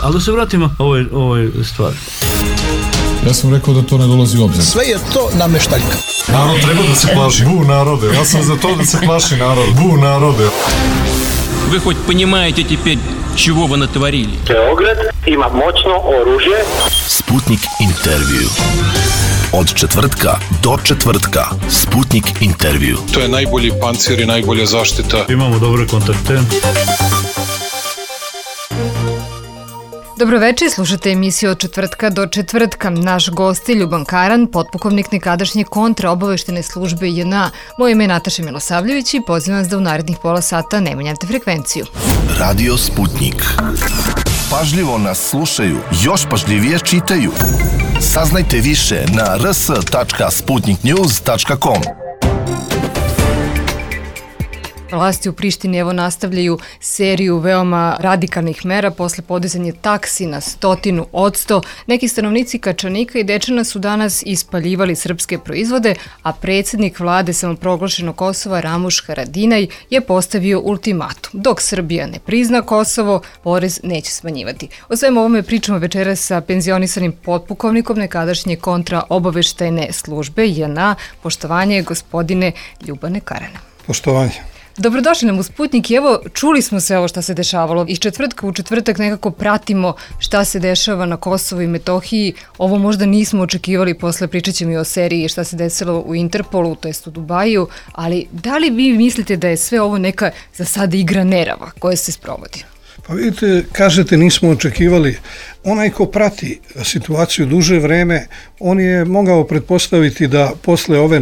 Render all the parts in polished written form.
Ali da se vratimo ovoj stvari. Ja sam rekao da to ne dolazi u obzir. Sve je to nameštaljka. Narod treba da se plaši. Bu narode. Ja sam za to da se plaši narod. Bu narode. Вы хоть понимаете теперь, чего вы натворили? Beograd ima moćno oružje. Sputnik intervju. Od četvrtka do četvrtka. Sputnik intervju. To je najbolji pancir i najbolja zaštita. Imamo dobre kontakte. Dobroveče, slušate emisiju od četvrtka do četvrtka. Naš gost je Ljuban Karan, potpukovnik nekadašnje kontraobaveštene službe JNA. Moje ime je Nataša Milosavljević i pozivam vas da u narednih pola sata ne menjate frekvenciju. Radio Sputnik. Pažljivo nas slušaju, još pažljivije čitaju. Saznajte više na rs.sputniknews.com. Vlasti u Prištini evo nastavljaju seriju veoma radikalnih mera posle podizanja taksi na 100%. Neki stanovnici Kačanika i Dečana su danas ispaljivali srpske proizvode, a predsjednik vlade samoproglašenog Kosova Ramuš Haradinaj je postavio ultimatum. Dok Srbija ne prizna Kosovo, porez neće smanjivati. O svemu ovome pričamo večeras sa penzionisanim potpukovnikom nekadašnje kontraobaveštajne službe JNA. Poštovanje gospodine Ljubane Karane. Poštovanje. Dobrodošli nam u Sputnik i evo čuli smo sve ovo šta se dešavalo. Iz četvrtka u četvrtak nekako pratimo šta se dešava na Kosovu i Metohiji. Ovo možda nismo očekivali, posle pričat ćemo i o seriji šta se desilo u Interpolu, to jest u Dubaju, ali da li vi mislite da je sve ovo neka za sada igra nerava koja se sprovodi? Pa vidite, kažete nismo očekivali. Onaj ko prati situaciju duže vreme, on je mogao pretpostaviti da posle ove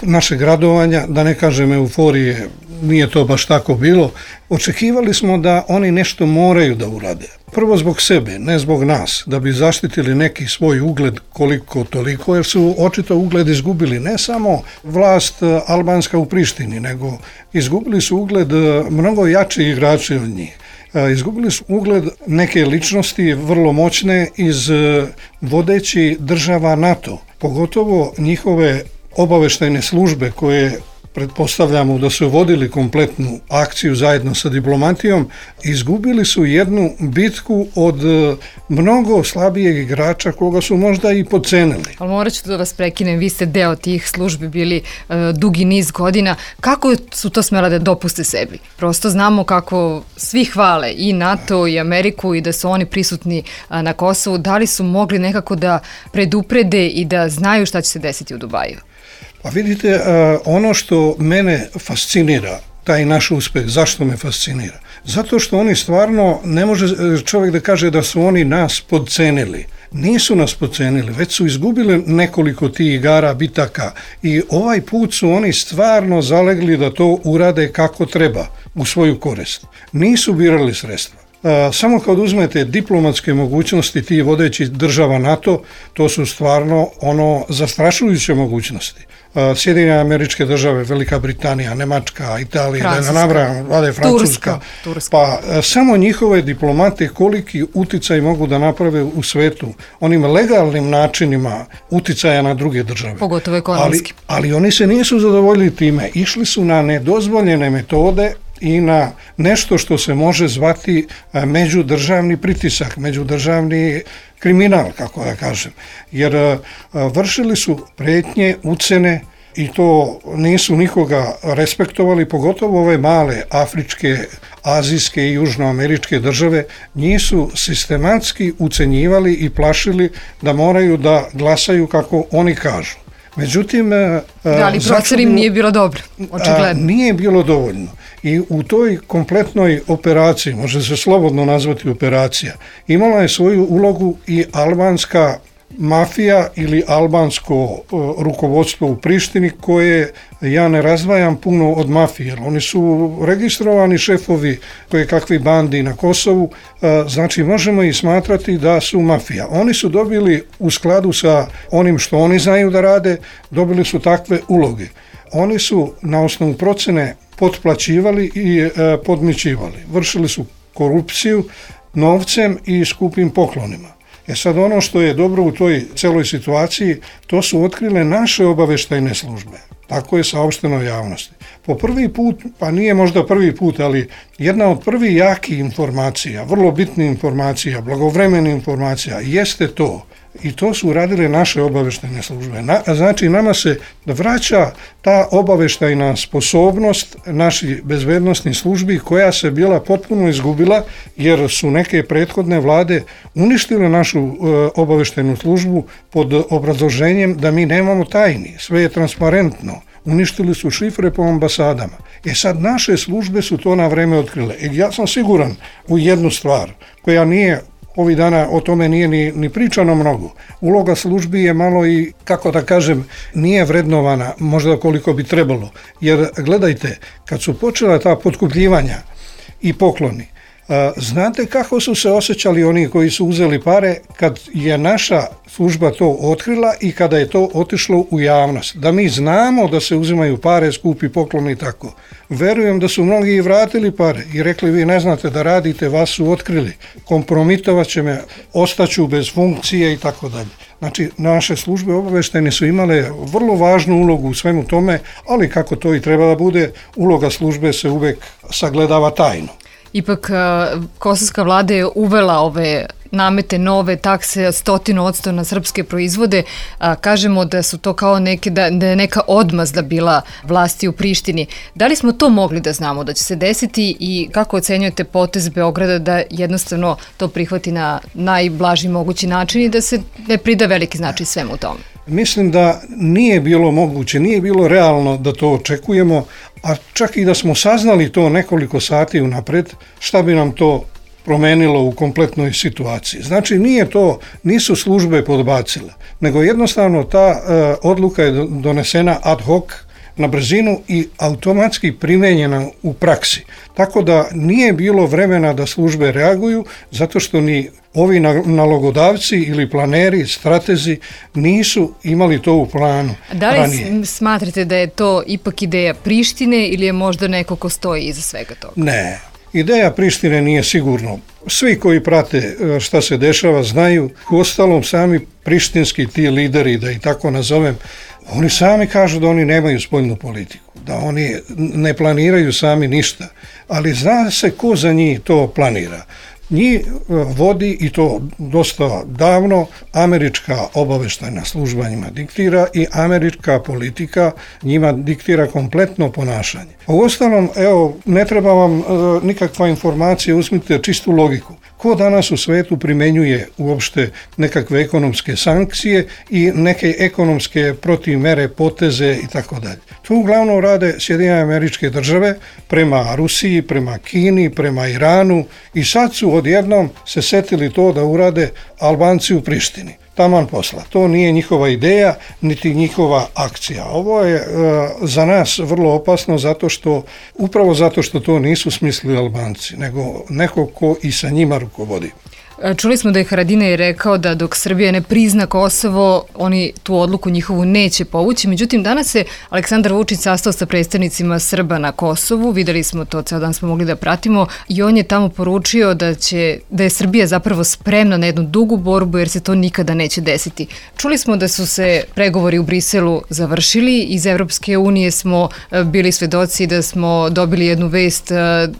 našeg radovanja, da ne kažem euforije, nije to baš tako bilo, očekivali smo da oni nešto moraju da urade. Prvo zbog sebe, ne zbog nas, da bi zaštitili neki svoj ugled koliko toliko, jer su očito ugled izgubili ne samo vlast albanska u Prištini, nego izgubili su ugled mnogo jači igrači od njih. Izgubili su ugled neke ličnosti vrlo moćne iz vodećih država NATO, pogotovo njihove obaveštajne službe koje pretpostavljamo da su vodili kompletnu akciju zajedno sa diplomatijom, izgubili su jednu bitku od mnogo slabijeg igrača koga su možda i podcenili. Ali morat ću da vas prekinem, vi ste deo tih službi bili dugi niz godina. Kako su to smela da dopuste sebi? Prosto znamo kako svi hvale i NATO i Ameriku i da su oni prisutni na Kosovu. Da li su mogli nekako da preduprede i da znaju šta će se desiti u Dubaju? Pa vidite, ono što mene fascinira, taj naš uspeh, zašto me fascinira? Zato što oni stvarno, ne može čovjek da kaže da su oni nas podcenili. Nisu nas podcenili, već su izgubili nekoliko tih igara, bitaka i ovaj put su oni stvarno zalegli da to urade kako treba u svoju korist. Nisu birali sredstva. Samo kad uzmete diplomatske mogućnosti tih vodećih država NATO, to su stvarno zastrašujuće mogućnosti. Sjedinjene Američke Države, Velika Britanija, Nemačka, Italija, Francuska, pa samo njihove diplomate koliki uticaj mogu da naprave u svetu, onim legalnim načinima uticaja na druge države. Pogotovo ekonomski. Ali oni se nisu zadovoljili time, išli su na nedozvoljene metode i na nešto što se može zvati međudržavni pritisak, međudržavni kriminal, kako da kažem. Jer vršili su pretnje, ucene i to nisu nikoga respektovali, pogotovo ove male afričke, azijske i južnoameričke države, njih su sistematski ucenjivali i plašili da moraju da glasaju kako oni kažu. Međutim, ali procor im nije bilo dobro, očigledno. Nije bilo dovoljno. I u toj kompletnoj operaciji, može se slobodno nazvati operacija, imala je svoju ulogu i albanska mafija ili albansko rukovodstvo u Prištini koje ja ne razdvajam puno od mafije. Oni su registrovani šefovi koje kakvi bandi na Kosovu, znači možemo i smatrati da su mafija. Oni su dobili u skladu sa onim što oni znaju da rade, dobili su takve uloge. Oni su na osnovu procene potplaćivali i podmićivali. Vršili su korupciju novcem i skupim poklonima. Sad ono što je dobro u toj celoj situaciji, to su otkrile naše obaveštajne službe. Tako je saopšteno javnosti. po prvi put, pa nije možda prvi put, ali jedna od prvih jakih informacija, vrlo bitnih informacija, blagovremenih informacija, jeste to. I to su uradile naše obaveštajne službe. Znači, nama se vraća ta obaveštajna sposobnost naših bezbednosnih službi koja se bila potpuno izgubila jer su neke prethodne vlade uništile našu obaveštajnu službu pod obrazloženjem da mi nemamo tajni, sve je transparentno. Uništili su šifre po ambasadama. Sad naše službe su to na vreme otkrile. Ja sam siguran u jednu stvar koja nije ovih dana o tome nije ni pričano mnogo. Uloga službi je malo i, kako da kažem, nije vrednovana možda koliko bi trebalo. Jer gledajte, kad su počela ta potkupljivanja i pokloni, znate kako su se osjećali oni koji su uzeli pare kad je naša služba to otkrila i kada je to otišlo u javnost. Da mi znamo da se uzimaju pare, skupi pokloni i tako. Verujem da su mnogi i vratili pare i rekli vi ne znate da radite, vas su otkrili, kompromitovat će me, ostaću bez funkcije i tako dalje. Znači, naše službe obaveštajne su imale vrlo važnu ulogu u svemu tome, ali kako to i treba da bude, uloga službe se uvek sagledava tajno. Ipak, kosovska vlada je uvela ove namete, nove takse 100% na srpske proizvode. Kažemo da su to kao da je neka odmazda bila vlasti u Prištini. Da li smo to mogli da znamo da će se desiti i kako ocenjujete potez Beograda da jednostavno to prihvati na najblaži mogući način i da se ne prida veliki značaj svemu tome? Mislim da nije bilo moguće, nije bilo realno da to očekujemo, a čak i da smo saznali to nekoliko sati unapred, šta bi nam to promenilo u kompletnoj situaciji. Znači, nisu službe podbacile, nego jednostavno ta odluka je donesena ad hoc, na brzinu i automatski primenjena u praksi. Tako da nije bilo vremena da službe reaguju, zato što ni ovi nalogodavci ili planeri, stratezi nisu imali to u planu ranije. Da li smatrate da je to ipak ideja Prištine ili je možda neko ko stoji iza svega toga? Ne, ideja Prištine nije sigurno. Svi koji prate šta se dešava znaju, uostalom sami prištinski ti lideri, da i tako nazovem, oni sami kažu da oni nemaju spoljnu politiku, da oni ne planiraju sami ništa, ali zna se ko za njih to planira. Njih vodi, i to dosta davno, američka obaveštajna služba njima diktira i američka politika njima diktira kompletno ponašanje. Uostalom, evo, ne treba vam nikakva informacija, uzmite čistu logiku. Ko danas u svetu primenjuje uopšte nekakve ekonomske sankcije i neke ekonomske protivmere, poteze i tako dalje? To uglavnom rade Sjedinjene Američke Države prema Rusiji, prema Kini, prema Iranu i sad su odjednom se setili to da urade Albanci u Prištini. Taman posla. To nije njihova ideja, niti njihova akcija. Ovo je za nas vrlo opasno upravo zato što to nisu smislili Albanci, nego neko ko i sa njima rukovodi. Čuli smo da je Haradinaj rekao da dok Srbija ne prizna Kosovo, oni tu odluku njihovu neće povući. Međutim, danas se Aleksandar Vučić sastao sa predstavnicima Srba na Kosovu. Videli smo to, ceo dan smo mogli da pratimo i on je tamo poručio da je Srbija zapravo spremna na jednu dugu borbu jer se to nikada neće desiti. Čuli smo da su se pregovori u Briselu završili. Iz Evropske unije smo bili svedoci da smo dobili jednu vest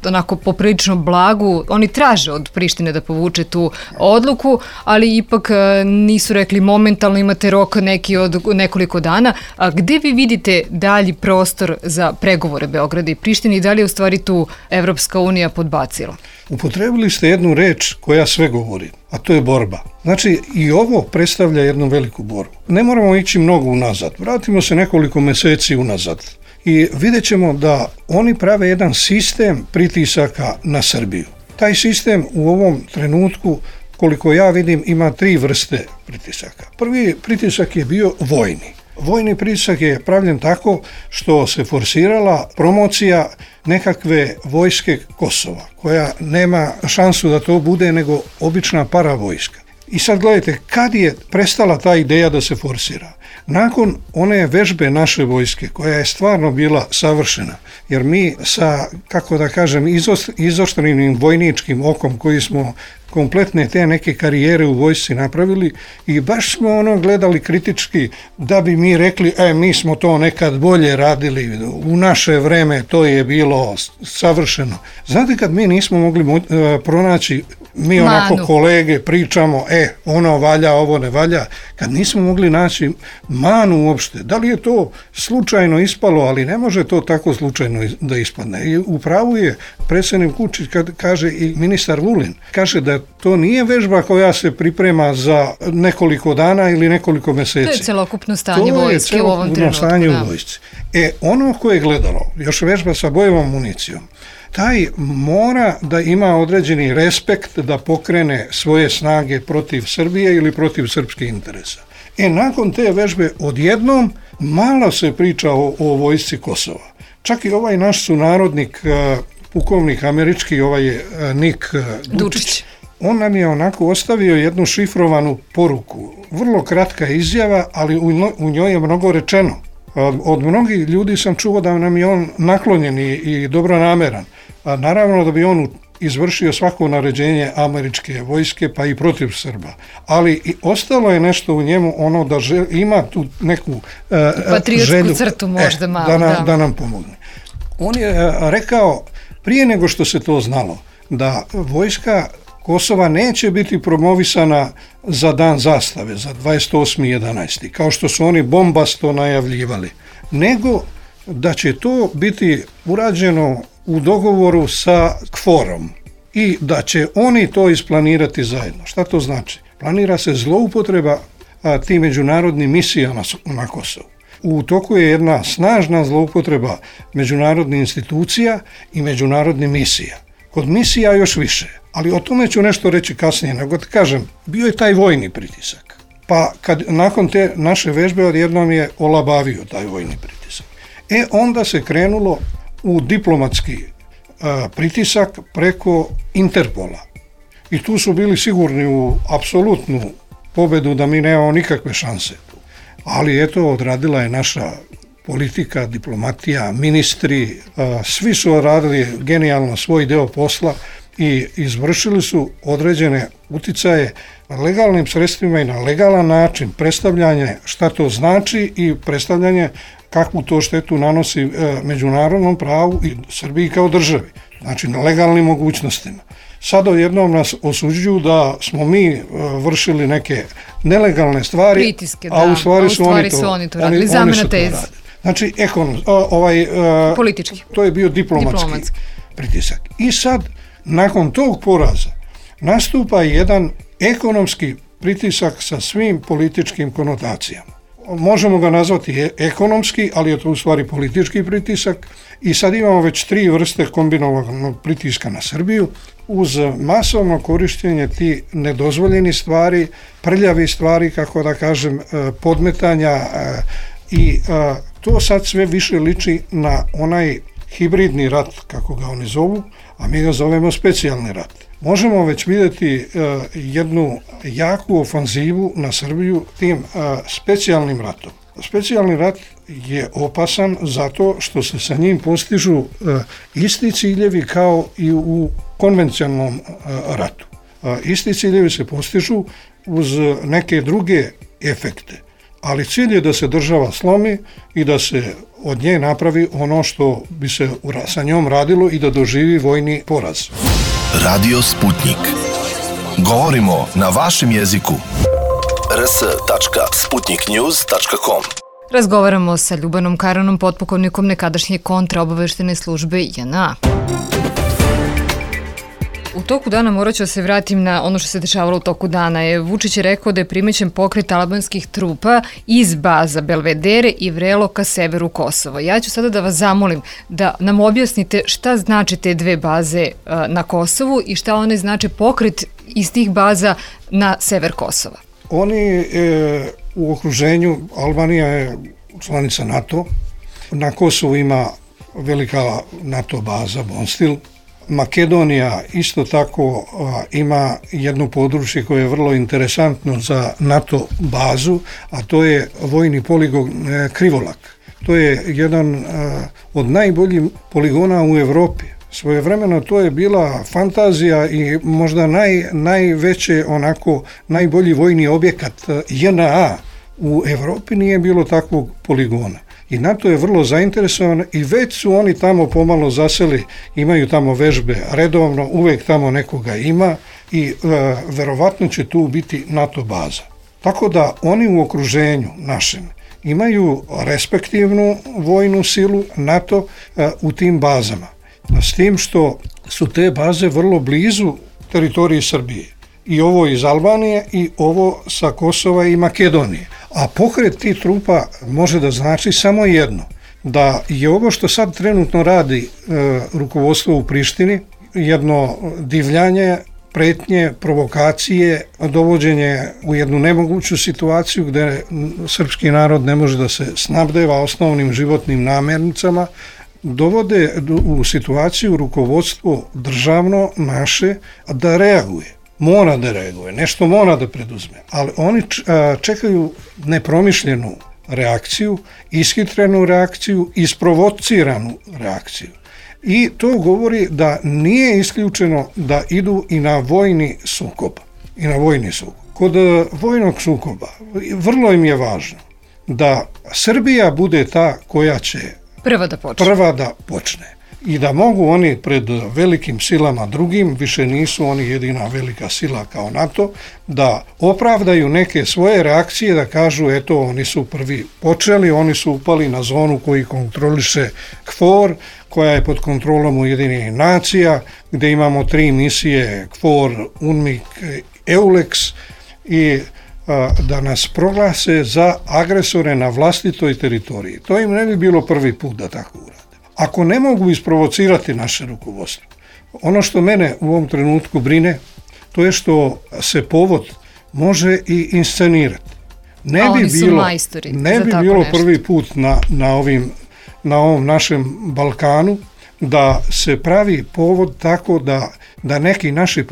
onako poprilično blagu. Oni traže od Prištine da povuče tu odluku, ali ipak nisu rekli momentalno, imate rok neki od nekoliko dana. A gde vi vidite dalji prostor za pregovore Beograda i Prištine i da li je u stvari tu Evropska unija podbacila? Upotrebili ste jednu reč koja sve govori, a to je borba. Znači, i ovo predstavlja jednu veliku borbu. Ne moramo ići mnogo unazad, vratimo se nekoliko meseci unazad i vidjet ćemo da oni prave jedan sistem pritisaka na Srbiju. Taj sistem u ovom trenutku, koliko ja vidim, ima 3 vrste pritisaka. Prvi pritisak je bio vojni. Vojni pritisak je pravljen tako što se forsirala promocija nekakve vojske Kosova, koja nema šansu da to bude nego obična paravojska. I sad gledajte, kad je prestala ta ideja da se forsira? Nakon one vežbe naše vojske, koja je stvarno bila savršena, jer mi sa, kako da kažem, izoštrenim vojničkim okom koji smo kompletne te neke karijere u vojsci napravili i baš smo gledali kritički da bi mi rekli mi smo to nekad bolje radili, u naše vreme to je bilo savršeno. Znate, kad mi nismo mogli pronaći, mi onako kolege pričamo, ono valja, ovo ne valja, kad nismo mogli naći manu uopšte, da li je to slučajno ispalo, ali ne može to tako slučajno da ispadne. I u pravu je predsjednik Vučić kad kaže i ministar Vulin, kaže da to nije vežba koja se priprema za nekoliko dana ili nekoliko mjeseci. To je celokupno stanje vojske u ovom trenutku. To je celokupno stanje u vojsci. Ono koje je gledalo, još vežba sa bojevom municijom, taj mora da ima određeni respekt da pokrene svoje snage protiv Srbije ili protiv srpskih interesa. Nakon te vežbe odjednom malo se priča o vojsci Kosova. Čak i ovaj naš sunarodnik, pukovnik američki, Nik Dučić, on nam je onako ostavio jednu šifrovanu poruku. Vrlo kratka izjava, ali u njoj je mnogo rečeno. Od mnogih ljudi sam čuo da nam je on naklonjen i dobronameran. Naravno da bi on izvršio svako naređenje američke vojske, pa i protiv Srba. Ali i ostalo je nešto u njemu, da ima tu neku patriotsku crtu možda malo. Da nam pomogne. On je rekao, prije nego što se to znalo, da vojska Kosova neće biti promovisana za dan zastave, za 28.11. kao što su oni bombasto najavljivali, nego da će to biti urađeno u dogovoru sa KFOR-om i da će oni to isplanirati zajedno. Šta to znači? Planira se zloupotreba ti međunarodnih misija na Kosovu. U toku je jedna snažna zloupotreba međunarodnih institucija i međunarodnih misija. Kod misija još više, ali o tome ću nešto reći kasnije, nego da kažem, bio je taj vojni pritisak. Pa nakon te naše vežbe odjednom je olabavio taj vojni pritisak. Onda se krenulo u diplomatski pritisak preko Interpola. I tu su bili sigurni u apsolutnu pobedu da mi nemamo nikakve šanse. Ali odradila je naša politika, diplomatija, ministri, svi su odradili genijalno svoj deo posla i izvršili su određene uticaje legalnim sredstvima i na legalan način, predstavljanje šta to znači i predstavljanje kakvu to štetu nanosi međunarodnom pravu i Srbiji kao državi, znači na legalnim mogućnostima. Sad odjednom nas osuđuju da smo mi vršili neke nelegalne stvari, pritiske, a u stvari su oni to radili, zamena teze. Znači, politički. To je bio diplomatski pritisak. I sad, nakon tog poraza, nastupa jedan ekonomski pritisak sa svim političkim konotacijama. Možemo ga nazvati ekonomski, ali je to u stvari politički pritisak i sad imamo već 3 vrste kombinovanog pritiska na Srbiju uz masovno korištenje ti nedozvoljeni stvari, prljavi stvari, kako da kažem, podmetanja i to sad sve više liči na onaj hibridni rat, kako ga oni zovu, a mi ga zovemo specijalni rat. Možemo već vidjeti jednu jaku ofanzivu na Srbiju tim specijalnim ratom. Specijalni rat je opasan zato što se sa njim postižu isti ciljevi kao i u konvencionalnom ratu. Isti ciljevi se postižu uz neke druge efekte, ali cilj je da se država slomi i da se od nje napravi ono što bi se sa njom radilo i da doživi vojni poraz. Radio Sputnik. Govorimo na vašem jeziku. rs.sputniknews.com. Razgovaramo sa Ljubanom Karanom, potpukovnikom nekadašnje kontraobaveštene službe JNA. U toku dana morat ću se vratim na ono što se dešavalo u toku dana. Vučić je rekao da je primećen pokret albanskih trupa iz baza Belvedere i Vrelo ka severu Kosova. Ja ću sada da vas zamolim da nam objasnite šta znači te 2 baze na Kosovu i šta one znači pokret iz tih baza na sever Kosova. Oni u okruženju, Albanija je članica NATO, na Kosovu ima velika NATO baza Bonstil. Makedonija isto tako ima jedno područje koje je vrlo interesantno za NATO bazu, a to je vojni poligon Krivolak. To je jedan od najboljih poligona u Evropi. Svojevremeno to je bila fantazija i možda najveće, onako, najbolji vojni objekat JNA u Evropi nije bilo takvog poligona. I NATO je vrlo zainteresovan i već su oni tamo pomalo zaseli, imaju tamo vežbe redovno, uvek tamo nekoga ima i verovatno će tu biti NATO baza. Tako da oni u okruženju našem imaju respektivnu vojnu silu NATO u tim bazama. S tim što su te baze vrlo blizu teritoriji Srbije. I ovo iz Albanije i ovo sa Kosova i Makedonije. A pokret tih trupa može da znači samo jedno. Da je ovo što sad trenutno radi rukovodstvo u Prištini, jedno divljanje, pretnje, provokacije, dovođenje u jednu nemoguću situaciju gde srpski narod ne može da se snabdeva osnovnim životnim namirnicama, dovode u situaciju rukovodstvo državno naše da reaguje. Mora da reaguje, nešto mora da preduzme, ali oni čekaju nepromišljenu reakciju, ishitrenu reakciju, isprovociranu reakciju. I to govori da nije isključeno da idu i na vojni sukob. Kod vojnog sukoba vrlo im je važno da Srbija bude ta koja će prva da počne. I da mogu oni pred velikim silama drugim, više nisu oni jedina velika sila kao NATO, da opravdaju neke svoje reakcije, da kažu eto oni su prvi počeli, oni su upali na zonu koji kontroliše KFOR, koja je pod kontrolom Ujedinjenih nacija, gde imamo 3 misije KFOR, UNMIK, EULEX i da nas proglase za agresore na vlastitoj teritoriji. To im ne bi bilo prvi put da tako urade. Ako ne mogu isprovocirati naše rukovodstvo, ono što mene u ovom trenutku brine, to je što se povod može i inscenirati. Ne bi bilo prvi put na ovom našem Balkanu da se pravi povod tako da neki naši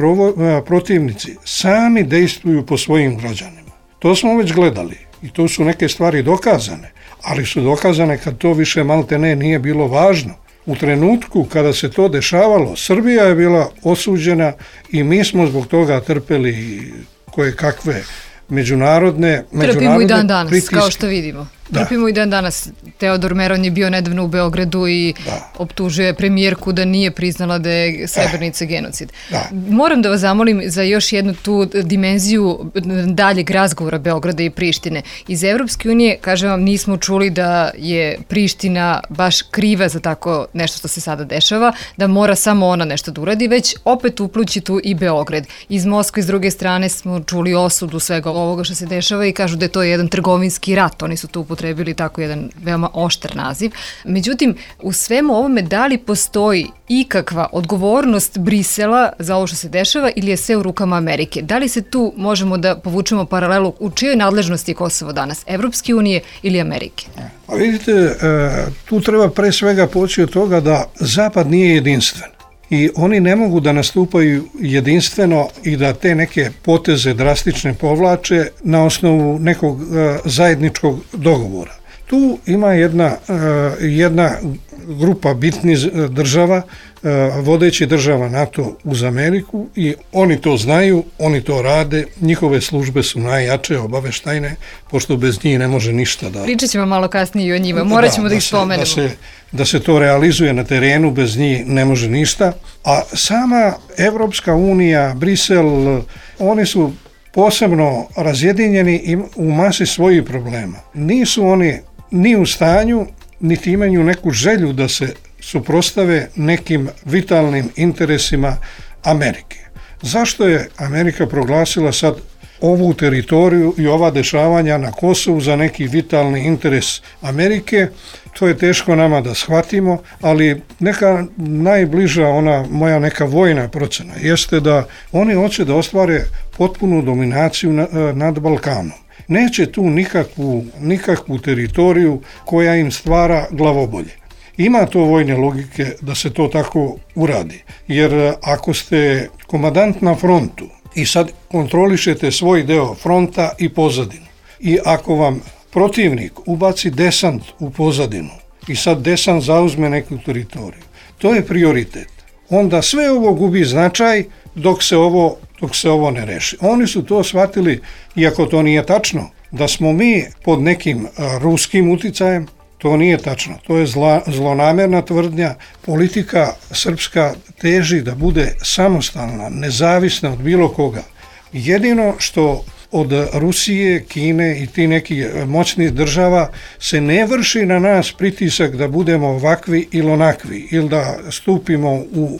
protivnici sami dejstvuju po svojim građanima. To smo već gledali i to su neke stvari dokazane, ali su dokazane kad to više maltene nije bilo važno. U trenutku kada se to dešavalo, Srbija je bila osuđena i mi smo zbog toga trpeli koje kakve međunarodne Trpimo i dan danas, pritiske. Kao što vidimo. Trpimo i dan danas. Teodor Meron je bio nedavno u Beogradu i optužuje premijerku da nije priznala da je Srebrenica genocid. Moram da vas zamolim za još jednu tu dimenziju daljeg razgovora Beograda i Prištine. Iz Evropske unije, kažem vam, nismo čuli da je Priština baš kriva za tako nešto što se sada dešava, da mora samo ona nešto da uradi, već opet uplući tu i Beograd. Iz Moskve, s druge strane, smo čuli osudu svega ovoga što se dešava i kažu da je to jedan trgovinski rat. Oni su tu upotrebili tako jedan veoma oštar naziv. Međutim, u svemu ovome da li postoji ikakva odgovornost Brisela za ovo što se dešava ili je sve u rukama Amerike? Da li se tu možemo da povučemo paralelu u čijoj nadležnosti je Kosovo danas? Evropske unije ili Amerike? A vidite, tu treba pre svega poći od toga da Zapad nije jedinstven. I oni ne mogu da nastupaju jedinstveno i da te neke poteze drastične povlače na osnovu nekog zajedničkog dogovora. Tu ima jedna grupa bitnih država, vodeći država NATO uz Ameriku i oni to znaju, oni to rade, njihove službe su najjače, obaveštajne, pošto bez njih ne može ništa da... Pričat ćemo malo kasnije i o njima, morat ćemo da ih spomenemo. Da se to realizuje na terenu, bez njih ne može ništa, a sama Evropska unija, Brisel, oni su posebno razjedinjeni u masi svojih problema. Nisu oni ni u stanju, niti imaju neku želju da se suprotstave nekim vitalnim interesima Amerike. Zašto je Amerika proglasila sad ovu teritoriju i ova dešavanja na Kosovu za neki vitalni interes Amerike? To je teško nama da shvatimo, ali neka najbliža moja neka vojna procena jeste da oni hoće da ostvare potpunu dominaciju nad Balkanom. Neće tu nikakvu teritoriju koja im stvara glavobolje. Ima to vojne logike da se to tako uradi, jer ako ste komandant na frontu i sad kontrolišete svoj deo fronta i pozadinu i ako vam protivnik ubaci desant u pozadinu i sad desant zauzme neku teritoriju, to je prioritet. onda sve ovo gubi značaj dok se ovo ne reši. Oni su to shvatili, iako to nije tačno, da smo mi pod nekim ruskim uticajem. To nije tačno, to je zlonamerna tvrdnja. Politika srpska teži da bude samostalna, nezavisna od bilo koga. Jedino što od Rusije, Kine i ti nekih moćnih država se ne vrši na nas pritisak da budemo ovakvi ili onakvi, ili da stupimo u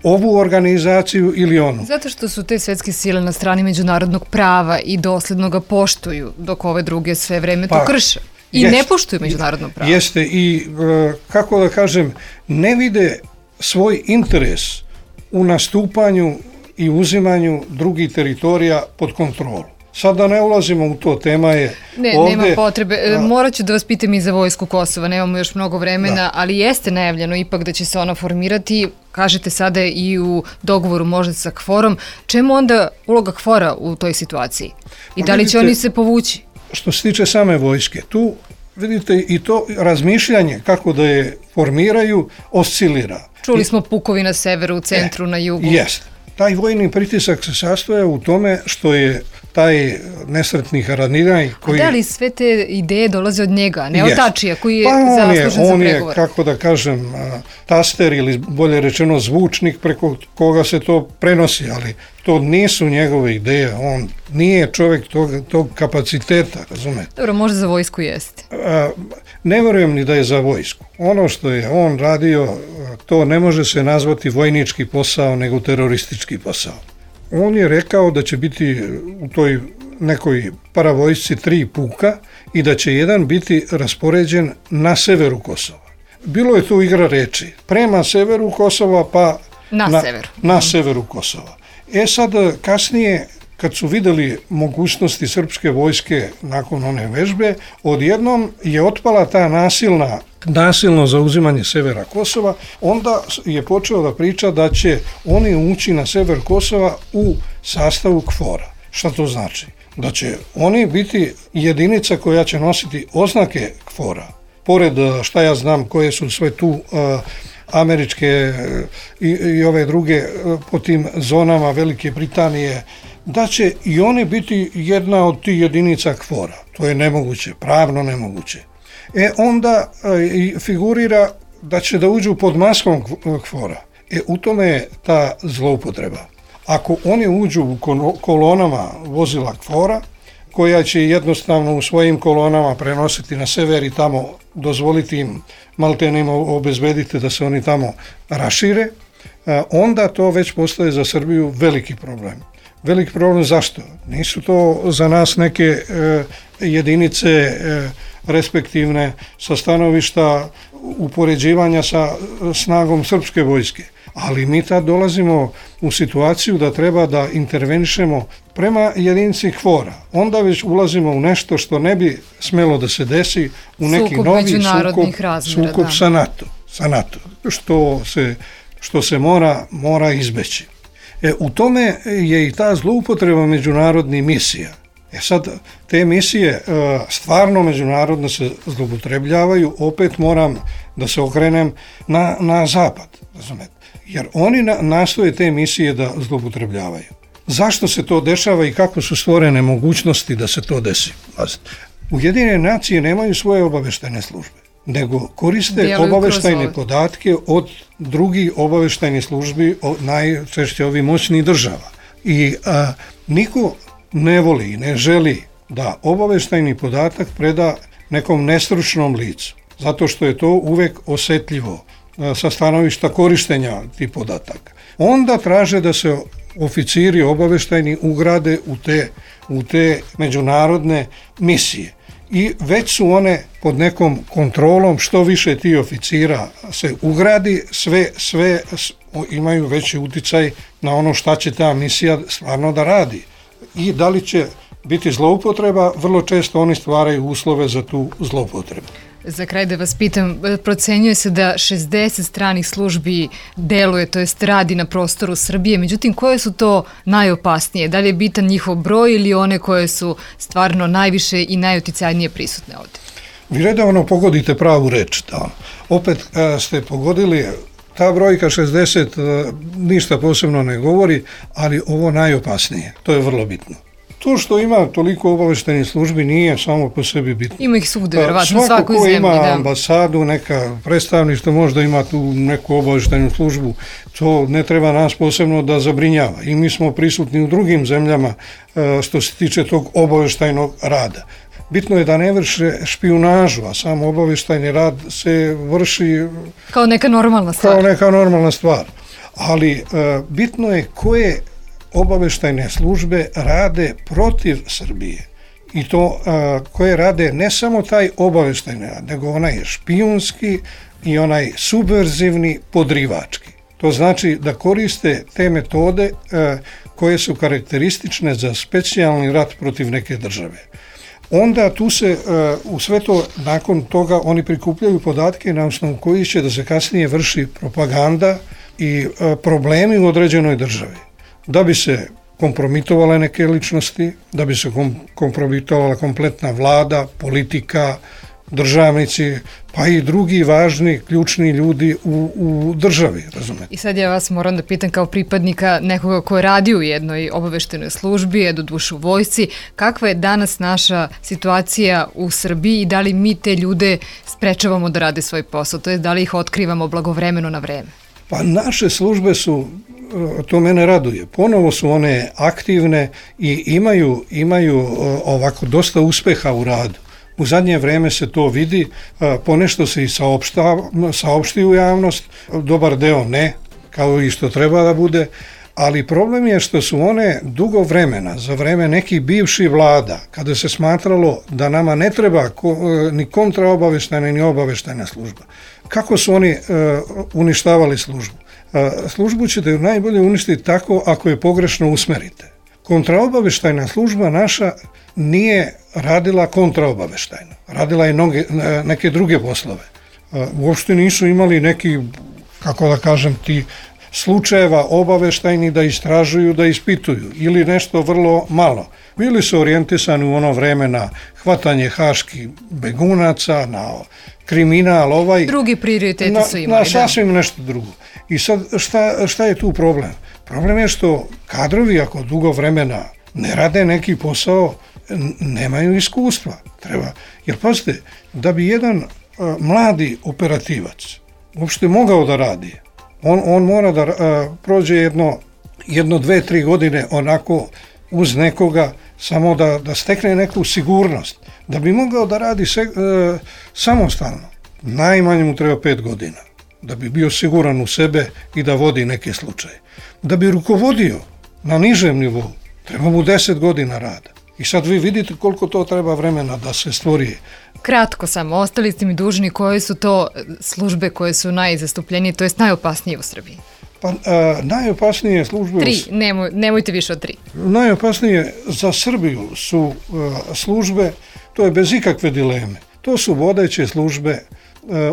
ovu organizaciju ili onu. Zato što su te svetske sile na strani međunarodnog prava i dosledno ga poštuju, dok ove druge sve vreme to krše. I ne poštuju međunarodno pravo. Jeste i, kako da kažem, ne vide svoj interes u nastupanju i uzimanju drugih teritorija pod kontrolu. Sad da ne ulazimo u to, tema je ovdje... Nema potrebe. Morat ću da vas pitam i za vojsku Kosova, nemamo još mnogo vremena, ali jeste najavljeno ipak da će se ona formirati. Kažete sada i u dogovoru možda sa KFOR-om. Čemu onda uloga KFOR-a u toj situaciji? I da li će oni se povući? Što se tiče same vojske, tu vidite i to razmišljanje kako da je formiraju oscilira. Čuli smo pukovi na severu, u centru, na jugu. Jeste. Taj vojni pritisak se sastoja u tome što je taj nesretni Haradinaj koji... A da li sve te ideje dolaze od njega, ne od Tačija koji je zaslužen za pregovor? On je, kako da kažem, taster ili bolje rečeno zvučnik preko koga se to prenosi, ali to nisu njegove ideje, on nije čovjek tog kapaciteta, razumete? Dobro, možda za vojsku jeste. Ne vjerujem ni da je za vojsku. Ono što je on radio, to ne može se nazvati vojnički posao, nego teroristički posao. On je rekao da će biti u toj nekoj paravojsci 3 puka i da će jedan biti raspoređen na severu Kosova. Bilo je tu igra reči, prema severu Kosova pa na severu Kosova. Sad kasnije, kad su vidjeli mogućnosti srpske vojske nakon one vežbe, odjednom je otpala ta nasilno zauzimanje severa Kosova, onda je počeo da priča da će oni ući na sever Kosova u sastavu KFOR-a. Šta to znači? Da će oni biti jedinica koja će nositi oznake KFOR-a. Pored, šta ja znam, koje su sve tu američke i ove druge po tim zonama Velike Britanije, da će i oni biti jedna od tih jedinica KFOR-a. To je nemoguće, pravno nemoguće. Onda figurira da će da uđu pod maskom KFOR-a. U tome je ta zloupotreba. Ako oni uđu u kolonama vozila KFOR-a, koja će jednostavno u svojim kolonama prenositi na sever i tamo dozvoliti im, maltene im obezbediti da se oni tamo rašire, onda to već postaje za Srbiju veliki problem. Veliki problem zašto? Nisu to za nas neke jedinice respektivne sa stanovišta upoređivanja sa snagom srpske vojske. Ali mi tad dolazimo u situaciju da treba da intervenišemo prema jedinici KFOR-a. Onda već ulazimo u nešto što ne bi smelo da se desi, u neki novi sukob sa NATO, što se mora izbeći. U tome je i ta zloupotreba međunarodnih misija. Sad, te misije stvarno međunarodno se zloupotrebljavaju, opet moram da se okrenem na zapad, razumete? Jer oni nastoje te misije da zloupotrebljavaju. Zašto se to dešava i kako su stvorene mogućnosti da se to desi? Ujedinjene nacije nemaju svoje obaveštajne službe, nego koriste obaveštajne podatke od drugih obaveštajnih službi, najčešće ovih moćnih država. I niko ne voli i ne želi da obaveštajni podatak preda nekom nestručnom licu, zato što je to uvek osetljivo sa stanovišta korištenja tih podataka. Onda traže da se oficiri obaveštajni ugrade u te međunarodne misije. I već su one pod nekom kontrolom, što više ti oficira se ugradi, sve imaju veći uticaj na ono šta će ta misija stvarno da radi. I da li će biti zloupotreba, vrlo često oni stvaraju uslove za tu zloupotrebu. Za kraj da vas pitam, procenjuje se da 60 stranih službi deluje, to jest radi na prostoru Srbije, međutim koje su to najopasnije? Da li je bitan njihov broj ili one koje su stvarno najviše i najuticajnije prisutne ovdje? Vi redovno pogodite pravu reč. Opet ste pogodili ta brojka 60 ništa posebno ne govori, ali ovo najopasnije, to je vrlo bitno. To što ima toliko obaveštajnih službi nije samo po sebi bitno. Ima ih svugde, verovatno, svako ko zemlji, ima ambasadu, neka predstavništvo, možda ima tu neku obaveštajnu službu, to ne treba nas posebno da zabrinjava. I mi smo prisutni u drugim zemljama što se tiče tog obaveštajnog rada. Bitno je da ne vrše špijunažu, a samo obaveštajni rad se vrši kao neka normalna stvar. Ali bitno je koje obaveštajne službe rade protiv Srbije. I to koje rade ne samo taj obaveštajni rad, nego onaj špijunski i onaj subverzivni, podrivački. To znači da koriste te metode koje su karakteristične za specijalni rat protiv neke države. Onda tu se u sve to, nakon toga oni prikupljaju podatke na osnovu kojih će da se kasnije vrši propaganda i problemi u određenoj državi. Da bi se kompromitovale neke ličnosti, da bi se kompromitovala kompletna vlada, politika, državnici, pa i drugi važni, ključni ljudi u državi, razumete? I sad ja vas moram da pitam kao pripadnika nekoga ko radi u jednoj obaveštajnoj službi, doduše u vojsci, kakva je danas naša situacija u Srbiji i da li mi te ljude sprečavamo da rade svoj posao, to je da li ih otkrivamo blagovremeno na vreme? Pa naše službe su, to mene raduje, ponovo su one aktivne i imaju ovako dosta uspeha u radu. U zadnje vreme se to vidi, ponešto se i saopšti u javnost, dobar deo ne, kao i što treba da bude, ali problem je što su one dugo vremena, za vreme nekih bivših vlada, kada se smatralo da nama ne treba ni kontraobaveštajna ni obaveštajna služba. Kako su oni uništavali službu? Službu ćete najbolje uništiti tako ako je pogrešno usmerite. Kontraobaveštajna služba naša nije radila kontraobaveštajno. Radila je neke druge poslove. Uopšte nisu imali neki, kako da kažem, ti slučajeva obaveštajni da istražuju, da ispituju ili nešto vrlo malo. Bili su orijentisani u ono vreme na hvatanje haških begunaca, na kriminal drugi prioriteti su imali. Na sasvim nešto drugo. I sad šta je tu problem? Problem je što kadrovi ako dugo vremena ne rade neki posao, nemaju iskustva. Jer pazite, da bi jedan mladi operativac uopšte mogao da radi, on mora da prođe jedno 2-3 godine onako uz nekoga, samo da stekne neku sigurnost. Da bi mogao da radi samostalno, najmanje mu treba 5 godina. Da bi bio siguran u sebe i da vodi neke slučaje. Da bi rukovodio na nižem nivou, treba mu 10 godina rada. I sad vi vidite koliko to treba vremena da se stvori. Kratko samo, ostali ste mi dužni koje su to službe koje su najzastupljenije, to jest najopasnije u Srbiji? Pa najopasnije službe... 3, nemojte više od 3. Najopasnije za Srbiju su službe, to je bez ikakve dileme. To su vodeće službe,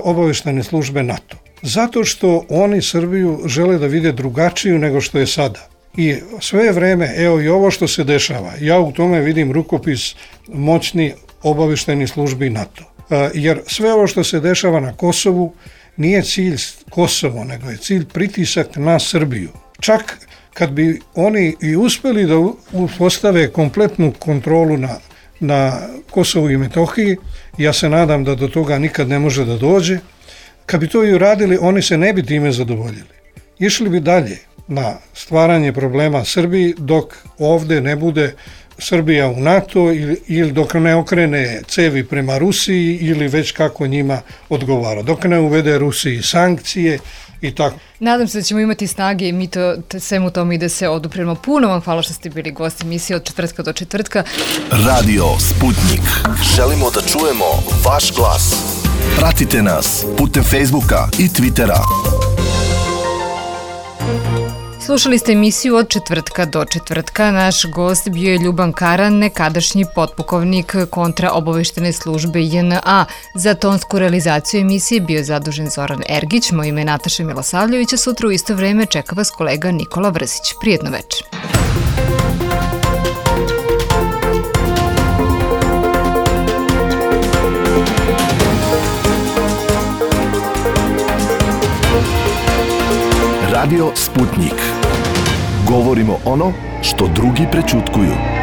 obaveštajne službe NATO. Zato što oni Srbiju žele da vide drugačiju nego što je sada. I sve vreme, evo i ovo što se dešava, ja u tome vidim rukopis moćni obaveštajnih službi NATO. Jer sve ovo što se dešava na Kosovu nije cilj Kosovo, nego je cilj pritisak na Srbiju. Čak kad bi oni i uspeli da postave kompletnu kontrolu na Kosovu i Metohiji, ja se nadam da do toga nikad ne može da dođe, kad bi to i uradili, oni se ne bi time zadovoljili. Išli bi dalje na stvaranje problema Srbiji dok ovde ne bude Srbija u NATO ili dok ne okrene cevi prema Rusiji ili već kako njima odgovara. Dok ne uvede Rusiji sankcije i tako. Nadam se da ćemo imati snage i mi svemu tome i da se odupremo. Puno vam hvala što ste bili gosti emisije od četvrtka do četvrtka. Radio Sputnik. Želimo da čujemo vaš glas. Pratite nas putem Facebooka i Twittera. Slušali ste emisiju od četvrtka do četvrtka. Naš gost bio je Ljuban Karan, nekadašnji potpukovnik kontraobaveštene službe JNA. Za tonsku realizaciju emisije bio je zadužen Zoran Ergić, moje ime je Nataša Milosavljević, a sutra u isto vreme čeka vas kolega Nikola Vrsić. Prijetno večer. Radio Sputnik. Govorimo ono što drugi prećutkuju.